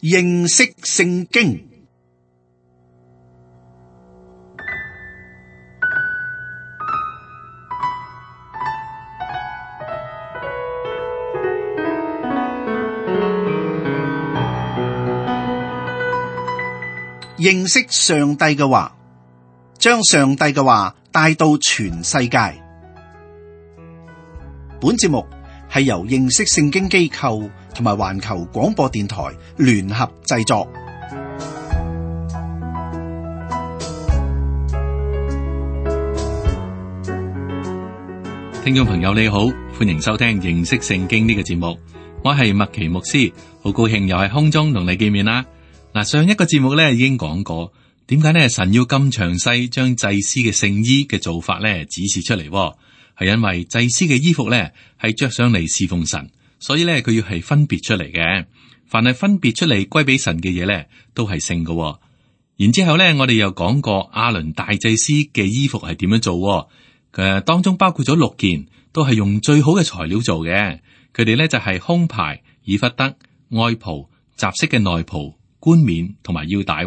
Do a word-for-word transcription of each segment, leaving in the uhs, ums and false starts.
認識聖經。認識上帝嘅話，將上帝嘅話帶到全世界。本節目係由認識聖經機構同埋環球廣播電台聯合製作。聽眾朋友你好，歡迎收聽認識聖經呢個節目。我係麥奇牧師，好高興又係空中同你見面啦。嗱，上一個節目咧已經講過，點解咧神要咁詳細將祭司嘅聖衣嘅做法咧指示出嚟？係因為祭司嘅衣服咧係着上嚟侍奉神，所以咧佢要係分別出嚟嘅。凡係分別出嚟歸俾神嘅嘢咧，都係聖嘅。然之後咧，我哋又講過亞倫大祭司嘅衣服係點樣做？誒，當中包括咗六件，都係用最好嘅材料做嘅。佢哋咧就係胸牌、以弗得、外袍、雜色嘅內袍、冠冕同埋腰帶。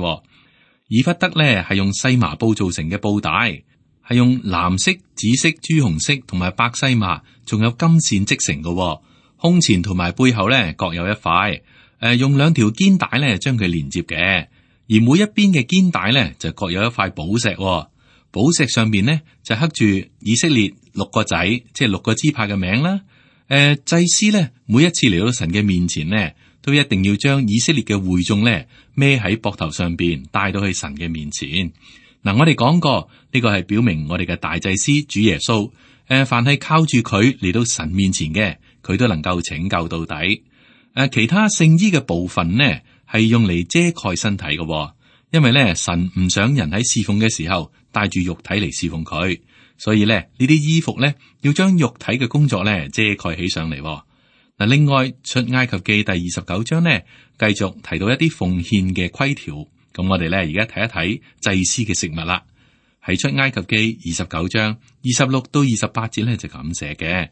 以弗得咧係用細麻布做成嘅布帶。係用藍色、紫色、朱紅色同埋白細麻，仲有金線織成嘅。胸前同埋背後咧各有一塊，誒、呃，用兩條肩帶咧將佢連接嘅。而每一邊嘅肩帶咧就各有一塊寶石，寶石上邊咧就刻住以色列六個仔，即係六個支派嘅名啦。誒、呃，祭司咧每一次嚟到神嘅面前咧，都一定要將以色列嘅會眾咧孭喺膊頭上邊，帶到去神嘅面前。嗱，我哋講過呢個係表明我哋嘅大祭司主耶穌，誒，凡係靠住佢嚟到神面前嘅，佢都能夠拯救到底。誒，其他聖衣嘅部分呢，係用嚟遮蓋身體嘅，因為咧神唔想人喺侍奉嘅時候帶住肉體嚟侍奉佢，所以咧呢啲衣服咧要將肉體嘅工作咧遮蓋起上嚟。嗱，另外出埃及記第二十九章呢，繼續提到一啲奉獻嘅規條。咁我哋咧而家睇一睇祭司嘅食物啦。喺出埃及記二十九章二十六到二十八節咧就咁寫嘅：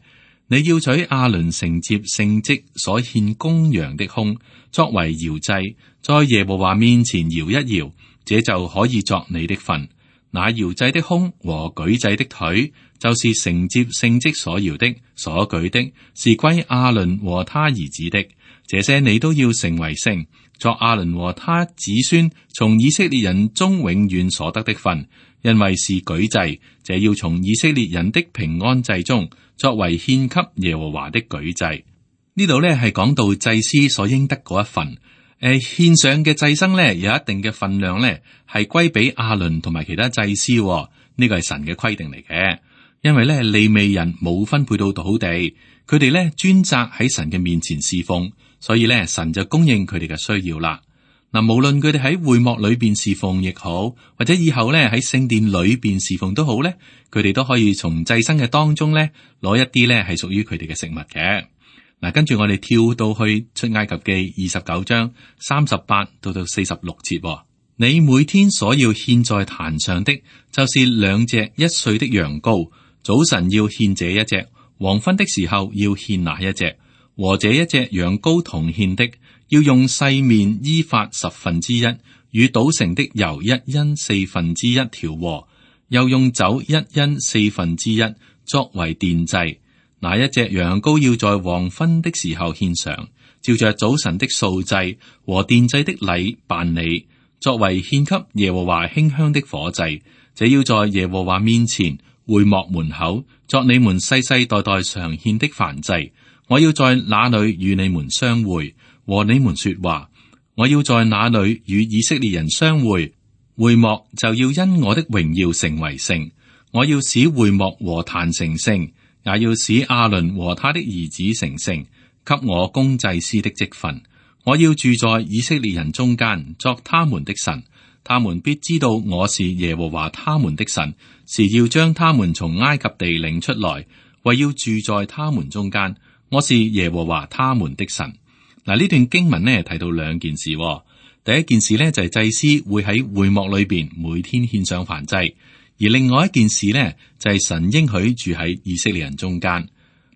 你要取亞倫承接聖職所獻公羊的胸，作為搖祭，在耶和華面前搖一搖，這就可以作你的份。那搖祭的胸和舉祭的腿，就是承接聖職所搖的、所舉的，是歸亞倫和他兒子的。這些你都要成為聖，作亞倫和他子孫從以色列人中永遠所得的份，因為是舉祭，這要從以色列人的平安祭中作為獻給耶和華的舉祭。呢度呢係講到祭司所應得嗰一份，誒、呃、獻上嘅祭牲呢有一定嘅份量呢係歸俾亞倫同埋其他祭司，呢、這個係神嘅規定嚟嘅。因為呢利未人冇分配到土地，佢哋呢專責喺神嘅面前侍奉。所以咧，神就供應佢哋嘅需要啦。嗱，無論佢哋喺會幕裏邊侍奉亦好，或者以後咧喺聖殿裏邊侍奉都好咧，佢哋都可以從祭牲嘅當中咧攞一啲咧係屬於佢哋嘅食物嘅。嗱，跟住我哋跳到去出埃及記二十九章三十八到到四十六節。你每天所要獻在壇上的，就是兩隻一歲的羊羔，早晨要獻這一隻，黃昏的時候要獻那一隻。和這一隻羊羔同獻的，要用細麵依法十分之一，與搗成的油一因四分之一調和，又用酒一因四分之一作為奠祭。那一隻羊羔要在黃昏的時候獻上，照着早晨的素祭和奠祭的禮辦理，作為獻給耶和華馨香的火祭。這要在耶和華面前會幕門口作你們世世代代常獻的燔祭。我要在那裏與你們相會，和你們說話。我要在那裏與以色列人相會，會幕就要因我的榮耀成為聖。我要使會幕和壇成聖，也要使亞倫和他的兒子成聖，給我供祭司的職分。我要住在以色列人中間，作他們的神。他們必知道我是耶和華他們的神，是要將他們從埃及地領出來，為要住在他們中間。我是耶和華他們的神。嗱，呢段經文呢提到兩件事。第一件事呢就係祭司會喺會幕裏邊每天獻上燔祭，而另外一件事呢就係神應許住喺以色列人中間。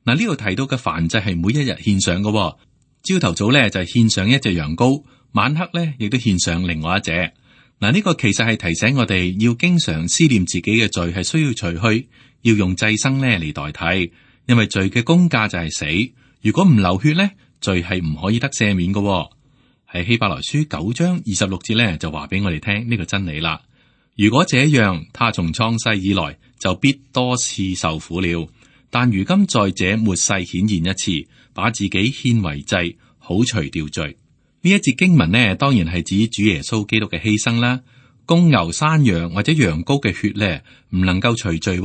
嗱，呢度提到嘅燔祭係每一日獻上嘅。朝頭早呢就係獻上一隻羊羔，晚黑咧亦都獻上另外一隻。嗱，呢個其實係提醒我哋要經常思念自己嘅罪係需要除去，要用祭牲咧嚟代替，因為罪嘅工價就係死。如果唔流血咧，罪係唔可以得赦免嘅。喺希伯來書九章二十六節咧就話俾我哋聽呢個真理啦。如果這樣，他從創世以來就必多次受苦了。但如今在這末世顯現一次，把自己獻為祭，好除掉罪。呢一節經文呢，當然係指主耶穌基督嘅犧牲啦。公牛、山羊或者羊羔嘅血咧，唔能夠除罪，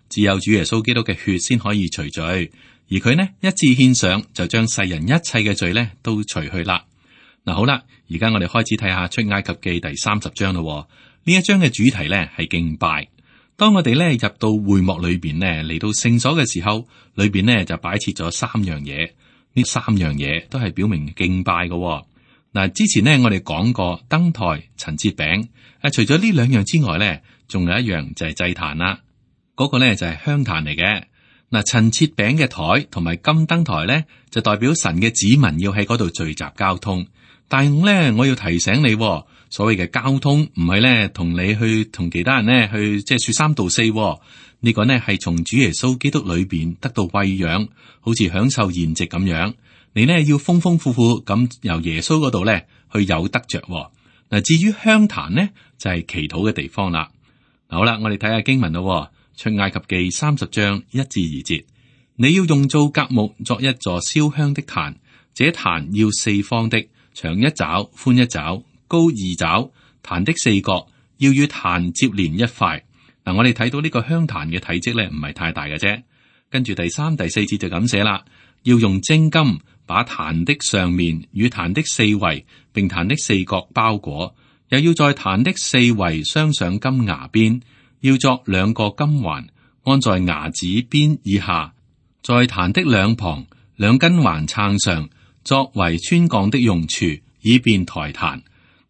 只有主耶穌基督嘅血先可以除罪。而佢呢一次獻上，就將世人一切嘅罪咧都除去啦。嗱，好啦，而家我哋開始睇下出埃及記第三十章咯。呢一章嘅主題咧係敬拜。當我哋咧入到會幕裏邊咧，嚟到聖所嘅時候，裏邊咧就擺設咗三樣嘢。呢三樣嘢都係表明敬拜嘅。嗱，之前呢，我哋講過燈台、陳設餅。誒，除咗呢兩樣之外咧，仲有一樣就係祭壇啦。嗰、那個咧就係香壇嚟嘅。嗱，陳設餅嘅台同埋金燈台咧，就代表神嘅子民要喺嗰度聚集交通。但係咧，我要提醒你，所謂嘅交通唔係咧同你去同其他人咧去即係說三道四。呢個呢係從主耶穌基督裏邊得到餵養，好似享受筵席咁樣。你呢要豐豐富富咁由耶穌嗰度咧去有得着。嗱，至於香壇呢，就係祈禱嘅地方啦。好啦，我哋睇下經文咯。出埃及記三十章一至二節，你要用皂莢木作一座燒香的壇，這壇要四方的，長一肘，寬一肘，高二肘。壇的四角要與壇接連一塊。嗱，我哋睇到呢個香壇嘅體積咧，唔係太大嘅啫。跟住第三、第四節就咁寫啦，要用精金把壇的上面與壇的四圍，並壇的四角包裹，又要在壇的四圍鑲上金牙邊。要作兩個金環，安在牙子邊以下，在壇的兩旁兩根環撐上，作為穿槓的用處，以便抬壇。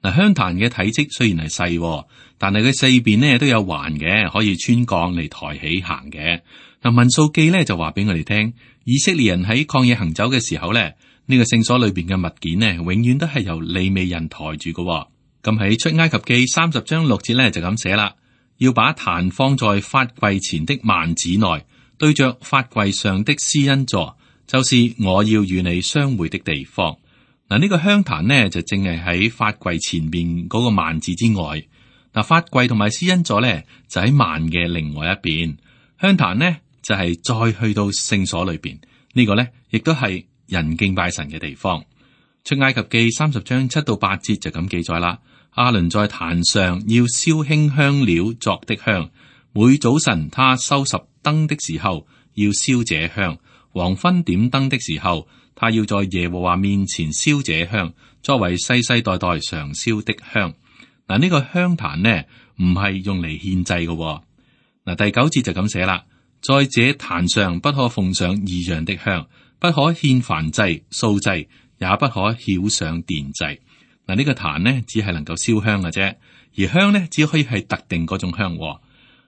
嗱，香壇嘅體積雖然係細，但係佢四邊呢都有環嘅，可以穿槓嚟抬起行嘅。嗱，民數記呢就話俾我哋聽，以色列人喺曠野行走嘅時候呢，呢、呢個聖所裏邊嘅物件呢，永遠都係由利未人抬住嘅。咁喺出埃及記三十章六節呢，就咁寫啦。要把壇放在法櫃前的幔子內，對着法櫃上的施恩座，就是我要與你相會的地方。嗱，呢個香壇呢，就正係喺法櫃前邊嗰個幔子之外。嗱，法櫃同埋施恩座呢，就喺幔嘅另外一邊。香壇呢，就係再去到聖所裏邊。呢個呢，亦都係人敬拜神嘅地方。出埃及記三十章七到八節就咁記載啦。亞倫在壇上要燒馨香料作的香，每早晨他收拾燈的時候要燒這香，黃昏點燈的時候，他要在耶和華面前燒這香，作為世世代代常燒的香。嗱，呢個香壇呢，唔係用嚟獻祭嘅。嗱，第九節就咁寫啦，在這壇上不可奉上異樣的香，不可獻燔祭、素祭，也不可澆上奠祭。嗱，呢個壇呢，只係能夠燒香嘅啫，而香呢，只可以係特定嗰種香。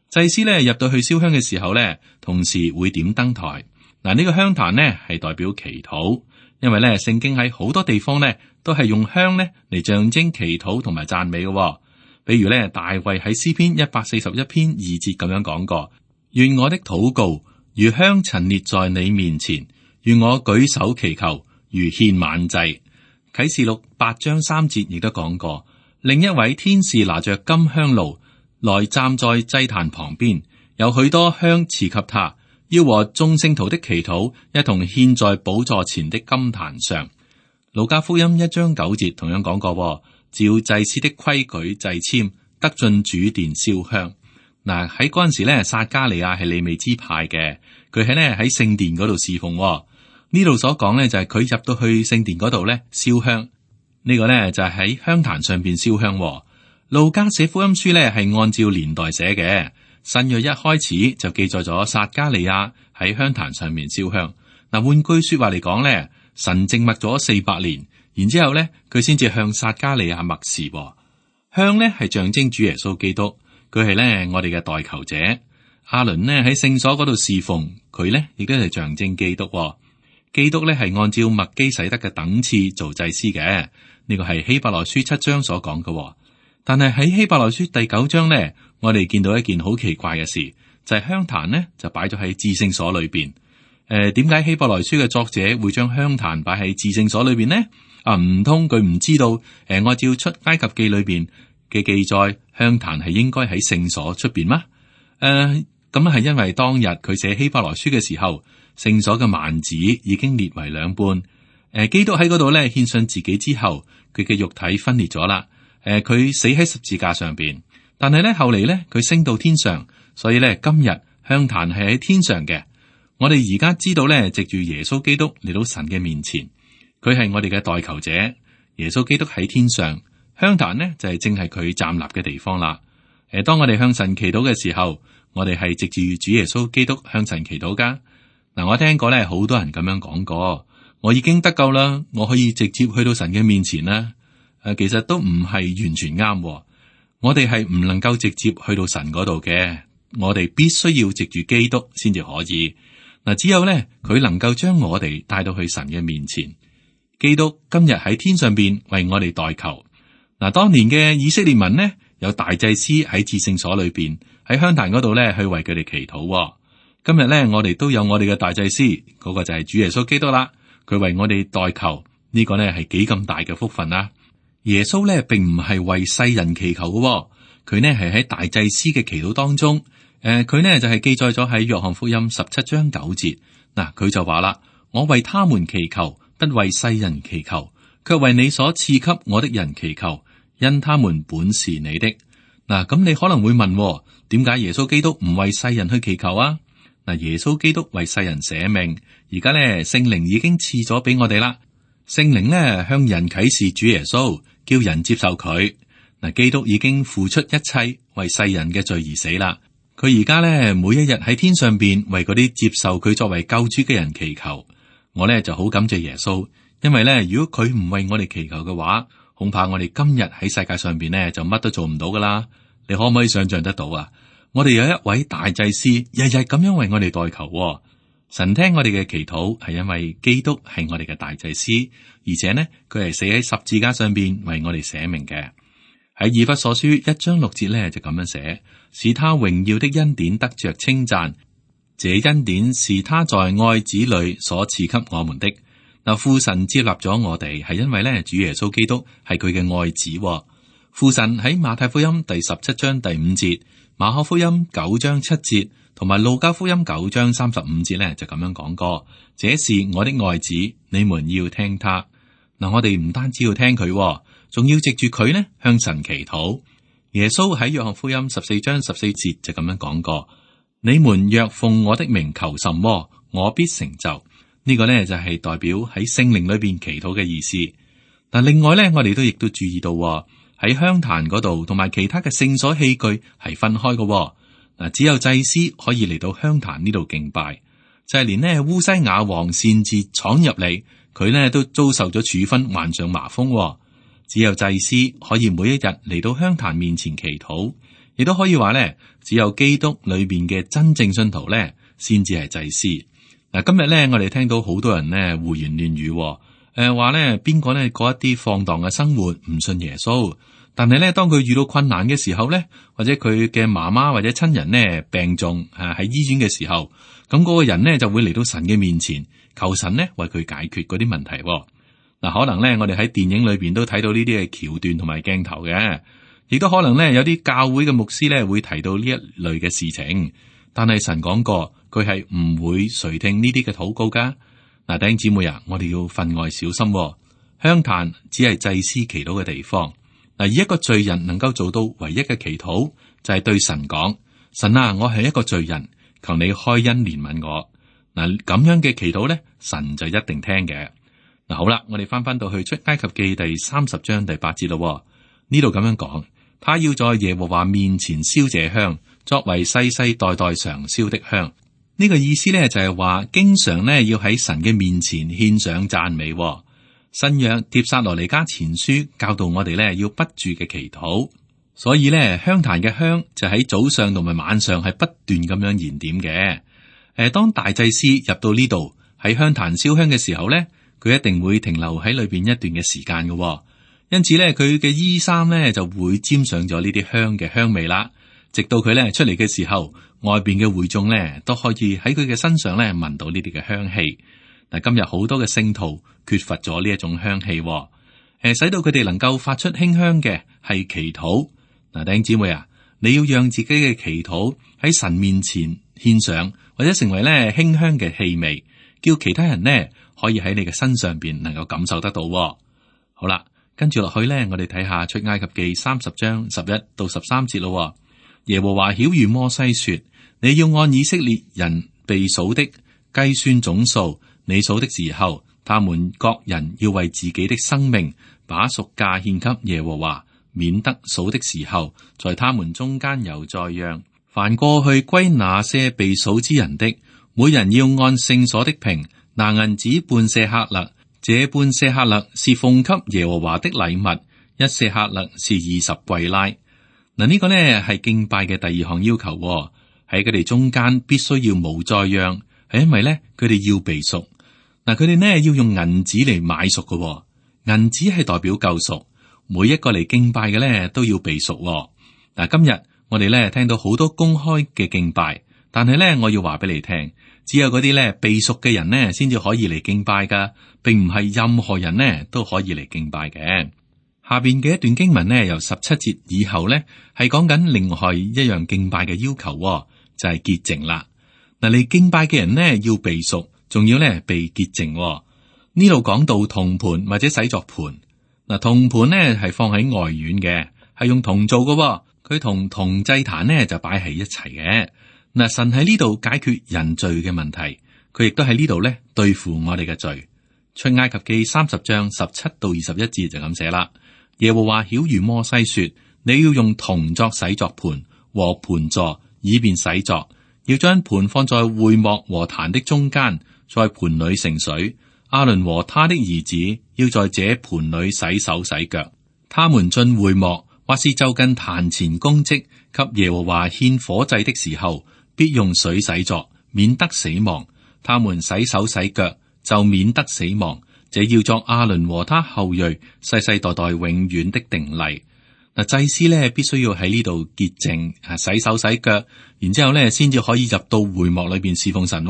祭司呢，入到去燒香嘅時候呢，同時會點燈台。嗱，呢個香壇呢，係代表祈禱，因為呢，聖經喺好多地方呢，都係用香呢嚟象徵祈禱同埋讚美嘅。比如呢，大衛喺詩篇一百四十一篇二節咁樣講過：願我的禱告如香陳列在你面前，願我舉手祈求如獻晚祭。啟示錄八章三節亦都講過，另一位天使拿着金香爐來站在祭壇旁邊，有許多香賜給他，要和眾聖徒的祈禱一同獻在寶座前的金壇上。路加福音一章九節同樣講過，照祭司的規矩祭籤，得進主殿燒香。嗱，喺嗰陣時咧，撒迦利亞係利未支派嘅，佢喺咧喺聖殿嗰度侍奉。呢度所講咧就係佢入到去聖殿嗰度咧燒香，呢個咧就係喺香壇上邊燒香。路加寫福音書咧係按照年代寫嘅，新約一開始就記載咗撒迦利亞喺香壇上面燒香。嗱，換句說話嚟講咧，神靜默咗四百年，然之後咧佢先至向撒迦利亞默示。香咧係象徵主耶穌基督，佢係咧我哋嘅代求者。亞倫呢喺聖所嗰度侍奉，佢咧亦都係象徵基督。基督咧係按照麥基洗德嘅等次做祭司嘅，呢個係希伯來書七章所講嘅。但係喺希伯來書第九章呢，我哋見到一件好奇怪嘅事，就係香壇呢就擺咗喺至聖所裏邊。誒、呃，點解希伯來書嘅作者會將香壇擺喺至聖所裏邊呢？啊，唔通佢唔知道？誒、呃，按照出埃及記裏邊嘅記載，香壇係應該喺聖所出邊嗎？誒、呃，咁係因為當日佢寫希伯來書嘅時候，聖所嘅幔子已經裂為兩半。誒、呃，基督喺嗰度咧獻上自己之後，佢嘅肉體分裂咗啦。誒、呃，佢死喺十字架上邊，但係咧後嚟咧佢升到天上，所以咧今日香壇係喺天上嘅。我哋而家知道咧，藉住耶穌基督嚟到神嘅面前，佢係我哋嘅代求者。耶穌基督喺天上，香壇呢就係、是、正係佢站立嘅地方啦。誒、呃，當我哋向神祈禱嘅時候，我哋係藉住主耶穌基督向神祈禱噶。嗱、呃，我聽過咧好多人咁樣講過，我已經得救啦，我可以直接去到神嘅面前啦。誒，其實都唔係完全啱，我哋係唔能夠直接去到神嗰度嘅，我哋必須要藉住基督先至可以。嗱，只有咧佢能夠將我哋帶到去神嘅面前。基督今日喺天上邊為我哋代求。嗱，當年嘅以色列民呢，有大祭司喺至聖所裏邊喺香壇嗰度咧去為佢哋祈禱。今日咧我哋都有我哋嘅大祭司，嗰個就係主耶穌基督啦。佢為我哋代求，呢個咧係幾咁大嘅福分啊！耶穌咧並唔係為世人祈求嘅，佢呢係喺大祭司嘅祈禱當中，誒、呃，佢呢就係、是、記載咗喺約翰福音十七章九節，嗱、呃，佢就話啦：我為他們祈求，不為世人祈求，卻為你所賜給我的人祈求，因他們本是你的。嗱、呃，咁你可能會問，點解耶穌基督唔為世人去祈求啊？嗱、呃，耶穌基督為世人捨命，而家呢聖靈已經賜咗俾我哋啦，聖靈呢向人啟示主耶穌。叫人接受佢。嗱，基督已經付出一切為世人嘅罪而死啦。佢而家咧每一日喺天上邊為嗰啲接受佢作為救主嘅人祈求。我咧就好感謝耶穌，因為咧如果佢唔為我哋祈求嘅話，恐怕我哋今日喺世界上邊咧就乜都做唔到噶啦。你可唔可以想象得到啊？我哋有一位大祭司，日日咁樣為我哋代求。神聽我哋嘅祈禱，係因為基督係我哋嘅大祭司，而且呢，佢係死喺十字架上邊為我哋捨命嘅。喺以弗所書一章六節咧就咁樣寫，使他榮耀的恩典得着稱讚，這恩典是他在愛子裏所賜給我們的。嗱，父神接納咗我哋，係因為咧主耶穌基督係佢嘅愛子。父神喺馬太福音第十七章第五節、馬可福音九章七節。同埋路加福音九章三十五節咧就咁樣講過，這是我的愛子，你們要聽他。嗱，我哋唔單止要聽佢，仲要藉住佢呢向神祈禱。耶穌喺約翰福音十四章十四節就咁樣講過，你們若奉我的名求什麼，我必成就。呢個呢就係代表喺聖靈裏邊祈禱嘅意思。但另外呢，我哋都亦都注意到喺香壇嗰度同埋其他嘅聖所器具係分開嘅。嗱，只有祭司可以嚟到香壇呢度敬拜，就係、是、連呢烏西雅王擅自闖入嚟，佢呢都遭受咗處分，患上麻風。只有祭司可以每一日嚟到香壇面前祈禱，亦都可以話呢，只有基督裏邊嘅真正信徒呢，先至係祭司。嗱，今日呢，我哋聽到好多人呢胡言亂語，誒、呃、話呢邊個呢過一啲放蕩嘅生活，唔信耶穌。但係咧，當佢遇到困難嘅時候咧，或者佢嘅媽媽或者親人呢病重啊喺醫院嘅時候，咁嗰個人呢就會嚟到神嘅面前，求神呢為佢解決嗰啲問題。嗱，可能咧我哋喺電影裏邊都睇到呢啲嘅橋段同埋鏡頭嘅，亦都可能咧有啲教會嘅牧師咧會提到呢一類嘅事情。但係神講過，佢係唔會垂聽呢啲嘅禱告噶。嗱，弟兄姊妹啊，我哋要分外小心。香壇只係祭司祈禱嘅地方。嗱，而一個罪人能夠做到唯一嘅祈禱，就係對神講：神啊，我係一個罪人，求你開恩憐憫我。嗱，咁樣嘅祈禱咧，神就一定聽嘅。嗱，好啦，我哋翻翻到去出埃及記第三十章第八節咯。呢度咁樣講，他要在耶和華面前燒這香，作為世世代代常燒的香。呢個意思咧就係話，經常咧要喺神嘅面前獻上讚美。新約帖撒羅尼迦前書教導我哋咧要不住嘅祈禱，所以咧香壇嘅香就喺早上同埋晚上係不斷咁樣燃點嘅。誒，當大祭司入到呢度喺香壇燒香嘅時候咧，佢一定會停留喺裏邊一段嘅時間嘅。因此咧佢嘅衣衫咧就會沾上咗呢啲香嘅香味啦。直到佢咧出嚟嘅時候，外邊嘅會眾咧都可以喺佢嘅身上咧聞到呢啲嘅香氣。嗱，今日好多嘅聖徒缺乏咗呢一種香氣，誒，使到佢哋能夠發出馨香嘅係祈禱。嗱，弟兄姊妹啊，你要讓自己嘅祈禱喺神面前獻上，或者成為咧馨香嘅氣味，叫其他人呢可以喺你嘅身上邊能夠感受得到。好啦，跟住落去咧，我哋睇下出埃及記三十章十一到十三節咯。耶和華曉諭摩西說：你要按以色列人被數的計算總數，你數的時候，他們各人要為自己的生命把贖價獻給耶和華，免得數的時候，在他們中間有災殃。凡過去歸那些被數之人的，每人要按聖所的平拿銀子半舍客勒，這半舍客勒是奉給耶和華的禮物，一舍客勒是二十櫃拉。嗱，呢個呢係敬拜嘅第二項要求，喺佢哋中間必須要無災殃，係因為呢，佢哋要被贖。嗱，佢哋呢要用銀子嚟買贖嘅，銀子係代表救贖，每一個嚟敬拜嘅呢都要被贖。嗱，今日我哋呢聽到好多公開嘅敬拜，但係呢我要話俾你聽，只有嗰啲呢被贖嘅人呢先至可以嚟敬拜噶，並唔係任何人呢都可以嚟敬拜嘅。下邊嘅一段經文呢，由十七節以後呢，係講緊另外一樣敬拜嘅要求，就係潔淨啦。嗱，你敬拜嘅人呢要被贖，仲要呢被潔淨。呢度講到銅盤或者洗作盤，嗱，銅盤呢係放喺外院嘅，係用銅做嘅，佢同銅祭壇呢就擺喺一齊嘅。嗱，神喺呢度解決人罪嘅問題，佢亦都喺呢度呢對付我哋嘅罪。出埃及記三十章十七到二十一節就咁寫啦。耶和華曉諭摩西說：你要用銅作洗作盤和盤座，以便洗作。要將盤放在會幕和壇的中間，在盤裏盛水。亞倫和他的兒子要在這盤裏洗手洗腳。他們進會幕或是就近壇前供職，給耶和華獻火祭的時候，必用水洗作，免得死亡。他們洗手洗腳，就免得死亡。這要作亞倫和他後裔世世代代永遠的定例。嗱，祭司咧必須要喺呢度潔淨，啊，洗手洗腳，然之後咧先至可以入到會幕裏邊侍奉神。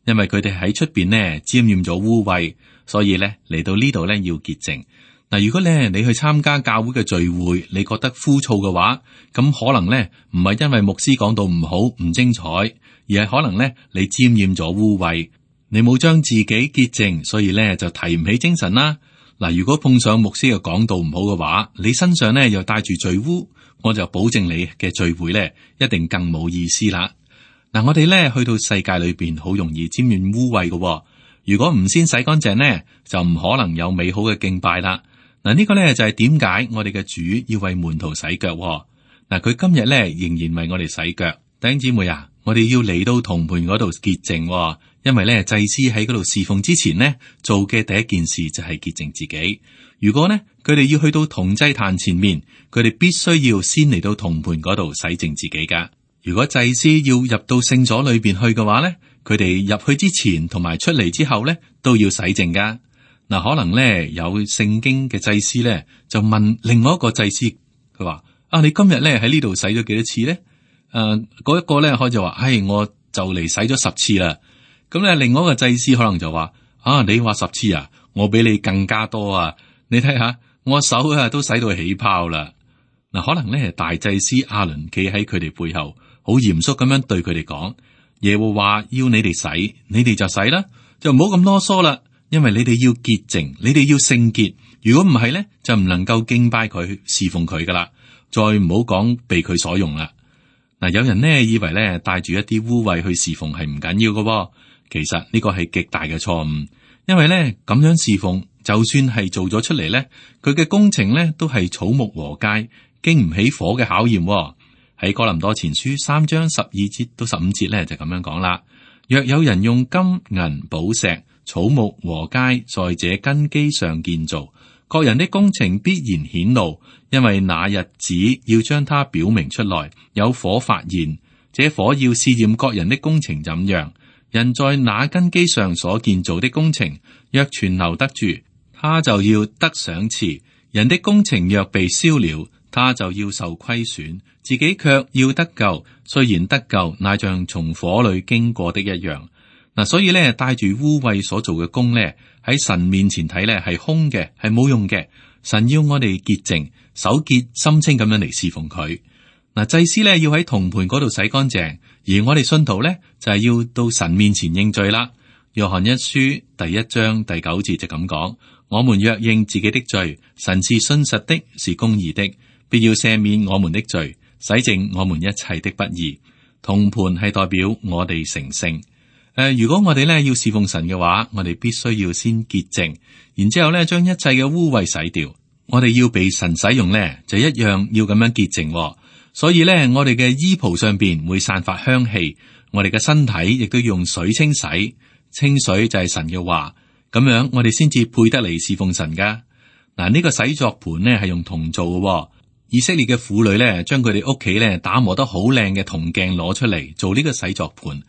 因為佢哋喺出邊呢沾染咗污穢，所以咧嚟到呢度咧要潔淨。嗱，如果咧你去參加教會嘅聚會，你覺得枯燥嘅話，咁可能咧唔係因為牧師講到唔好唔精彩，而係可能咧你沾染咗污穢。你冇將自己潔淨，所以咧就提唔起精神啦。嗱，如果碰上牧師嘅講道唔好嘅話，你身上咧又帶住罪污，我就保證你嘅聚會咧一定更冇意思啦。嗱，我哋咧去到世界裏邊好容易沾染污穢嘅，如果唔先洗乾淨呢，就唔可能有美好嘅敬拜啦。嗱，呢個咧就係點解我哋嘅主要為門徒洗腳。嗱，佢今日咧仍然為我哋洗腳。弟兄姊妹啊，我哋要嚟到銅盤嗰度潔淨。因為咧，祭司喺嗰度侍奉之前呢，做嘅第一件事就係潔淨自己。如果呢，佢哋要去到銅祭壇前面，佢哋必須要先嚟到銅盤嗰度洗淨自己噶。如果祭司要入到聖所裏邊去嘅話呢，佢哋入去之前同埋出嚟之後呢，都要洗淨噶。嗱，可能呢，有聖經嘅祭司呢，就問另外一個祭司，佢話：啊，你今日呢喺呢度洗咗幾多次呢？誒、呃，嗰一個呢，可就話：唉，我就嚟洗咗十次啦。咁咧，另外一個祭司可能就話：啊，你話十次啊，我比你更加多啊！你睇下，我手啊都洗到起泡啦。嗱，可能咧，大祭司亞倫企喺佢哋背後，好嚴肅咁樣對佢哋講：耶和華要你哋洗，你哋就洗啦，就唔好咁囉嗦啦。因為你哋要潔淨，你哋要聖潔。如果唔係咧，就唔能夠敬拜佢、侍奉佢噶啦。再唔好講被佢所用啦。嗱，有人呢以為咧帶住一啲污穢去侍奉係唔緊要噶。其實呢個係極大嘅錯誤，因為咧咁樣侍奉，就算係做咗出嚟咧，佢嘅工程咧都係草木禾稭，經唔起火嘅考驗。喺哥林多前書三章十二節到十五節咧就咁樣講啦。若有人用金銀寶石、草木禾稭在這根基上建造，各人的工程必然顯露，因為那日子要將它表明出來，有火發現，這火要試驗各人的工程怎樣。人在那根基上所建造的工程，若存留得住，他就要得賞賜。人的工程若被燒了，他就要受虧損，自己卻要得救。雖然得救，乃像從火裏經過的一樣。嗱，所以咧，帶住污穢所做嘅工咧，喺神面前睇咧係空嘅，係冇用嘅。神要我哋潔淨、手潔心清咁樣嚟侍奉佢。嗱，祭司咧要喺銅盤嗰度洗乾淨，而我哋信徒咧就係要到神面前認罪啦。約翰一書第一章第九節就咁講：我們若認自己的罪，神是信實的，是公義的，必要赦免我們的罪，洗淨我們一切的不義。銅盤係代表我哋成聖。誒、呃，如果我哋咧要侍奉神嘅話，我哋必須要先潔淨，然之後咧將一切嘅污穢洗掉。我哋要被神使用咧，就一樣要咁樣潔淨、哦。所以咧，我哋嘅衣袍上邊會散發香氣，我哋嘅身體亦都要用水清洗。清水就係神嘅話，咁樣我哋先至配得嚟侍奉神噶。嗱，呢個洗作盤呢係用銅做嘅、哦。以色列嘅婦女咧，將佢哋屋企咧打磨得好靚嘅銅鏡攞出嚟做呢個洗作盤。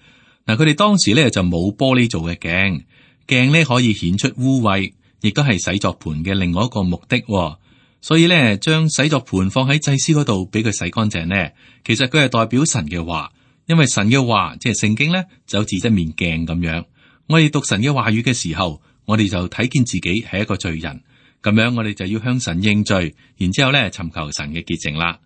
嗱，佢哋當時咧就冇玻璃做嘅鏡，鏡咧可以顯出污穢，亦都係洗作盤嘅另外一個目的、哦。所以咧，將洗作盤放喺祭司嗰度，俾佢洗乾淨呢，其實佢係代表神嘅話，因為神嘅話即係聖經咧，就好似一面鏡咁樣。我哋讀神嘅話語嘅時候，我哋就睇見自己係一個罪人，咁樣我哋就要向神認罪，然之後咧尋求神嘅潔淨啦。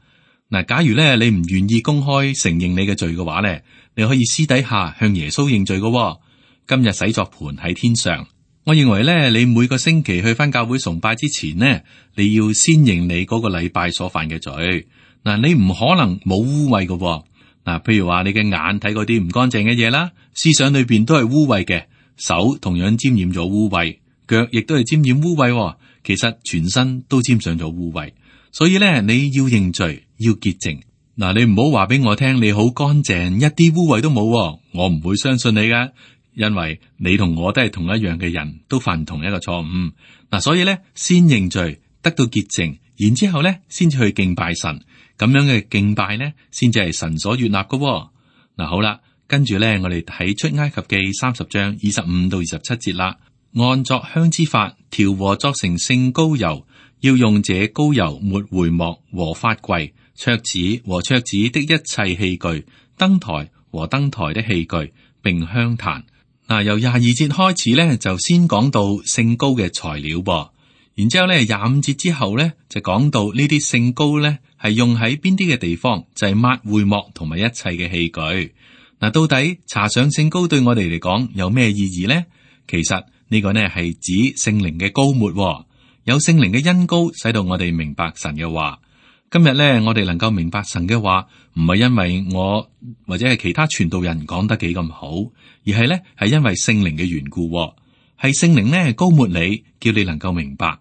嗱，假如咧你唔願意公開承認你嘅罪嘅話咧，你可以私底下向耶穌認罪嘅、哦。今日洗作盤喺天上，我認為咧，你每個星期去返教會崇拜之前呢，你要先認你嗰個禮拜所犯嘅罪。嗱，你唔可能冇污穢嘅、哦。嗱，譬如話你嘅眼睇嗰啲唔乾淨嘅嘢啦，思想裏邊都係污穢嘅。手同樣沾染咗污穢，腳亦都係沾染污穢，其實全身都沾上咗污穢。所以咧，你要認罪，要潔淨。嗱，你唔好話俾我聽你好乾淨，一啲污穢都冇，我唔會相信你噶，因為你同我都係同一樣嘅人，都犯同一個錯誤。嗱，所以咧，先認罪，得到潔淨，然之後咧，先至去敬拜神。咁樣嘅敬拜咧，先至係神所悅納噶。嗱，好啦。跟住咧，我哋睇出埃及記三十章二十五到二十七節啦。按作香之法調和作成聖膏油，要用這膏油抹會幕和法櫃、桌子和桌子的一切器具、燈台和燈台的器具，並香壇。嗱，由廿二節開始咧，就先講到聖膏嘅材料噃，然之後咧廿五節之後咧就講到呢啲聖膏咧係用喺邊啲嘅地方，就係、是、抹會幕同埋一切嘅器具。嗱，到底搽上聖膏對我哋嚟講有咩意義呢？其實呢個呢係指聖靈嘅膏抹，有聖靈嘅恩膏，使到我哋明白神嘅話。今日呢，我哋能夠明白神嘅話，唔係因為我或者係其他傳道人講得幾咁好，而係呢係因為聖靈嘅緣故，係聖靈呢膏抹你，叫你能夠明白。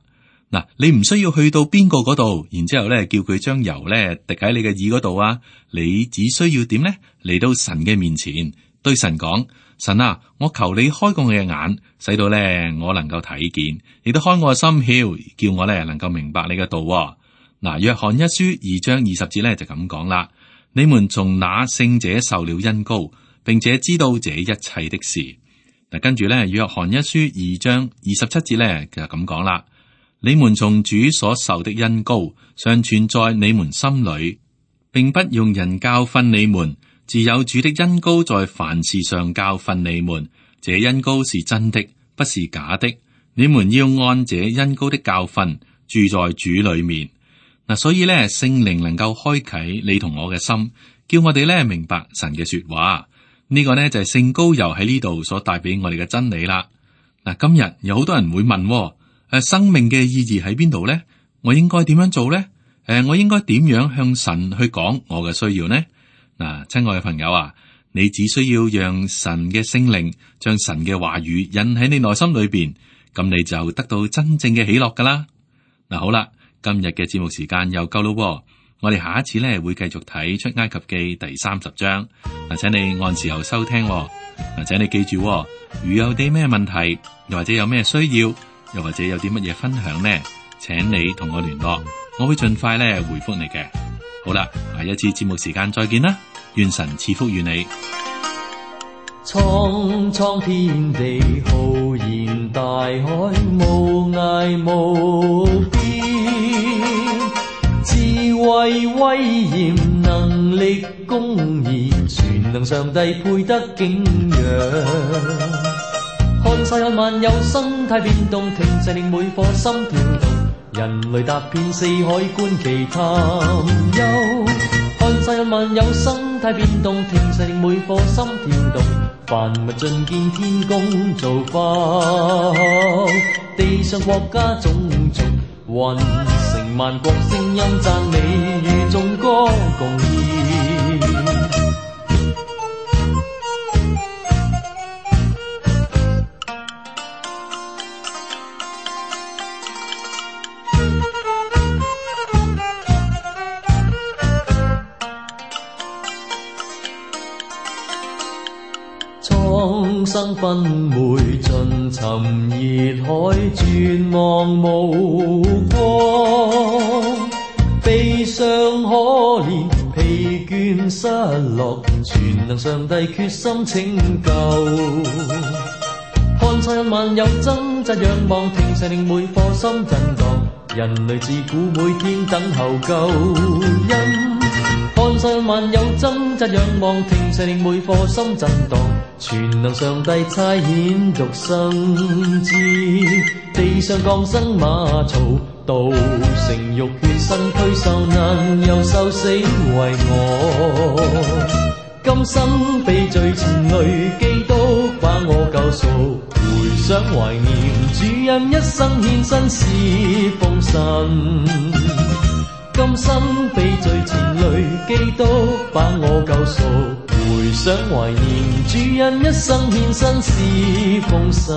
嗱，你唔需要去到邊個嗰度，然之後咧叫佢將油咧滴喺你嘅耳嗰度啊！你只需要點咧？嚟到神嘅面前，對神講：神啊，我求你開過我嘅眼，使到咧我能夠睇見，亦都開我嘅心竅，叫我咧能夠明白你嘅道。嗱，約翰一書二章二十節咧就咁講啦：你們從那聖者受了恩膏，並且知道這一切的事。嗱，跟住咧約翰一書二章二十七節咧就咁講啦。你們從主所受的恩膏常存在你們心裏，並不用人教訓你們，自有主的恩膏在凡事上教訓你們。這恩膏是真的，不是假的。你們要按這恩膏的教訓住在主裏面。嗱，所以咧，聖靈能夠開啟你同我嘅心，叫我哋咧明白神嘅說話。呢、這個呢，就係聖膏油喺呢度所帶俾我哋嘅真理啦。嗱，今日有好多人會問。誒，生命嘅意義喺邊度呢？我應該點樣做呢？誒，我應該點樣向神去講我嘅需要呢？嗱，親愛嘅朋友啊，你只需要讓神嘅聖靈將神嘅話語引喺你內心裏邊，咁你就得到真正嘅喜樂噶啦。嗱，好啦，今日嘅節目時間又夠咯，我哋下一次咧會繼續睇出埃及記第三十章。嗱，請你按時候收聽。嗱，請你記住，如有啲咩問題，又或者有咩需要，又或者有啲乜嘢分享呢？請你同我聯絡，我會盡快咧回覆你嘅。好啦，下一次節目時間再見啦，願神賜福與你。蒼蒼天地浩然大海，無涯無邊，慧威嚴能力公義，全能上帝配得敬仰。看世間萬有生態變動，停滯令每顆心跳動，人類踏遍四海觀其探幽。看世間萬有生態變動，停滯令每顆心跳動，凡物盡見天公造化，地上國家種族，雲成萬國聲音讚美與眾歌共演。蒼生昏昧盡沉熱海，絕望無光，悲傷可憐疲倦失落，全能上帝決心拯救。看世間萬有掙扎仰望，停滯令每顆心震盪，人類自古每天等候救恩。看世間萬有掙扎仰望，停滯令每顆心震盪，全能上帝差遣獨生子，地上降生馬槽，道成肉血身軀受難又受死為我。今生被罪纏累，基督把我救贖，回想懷念主恩一生獻身侍奉神。今生被罪纏累，基督把我救贖，回想懷念主恩一生獻身侍奉神。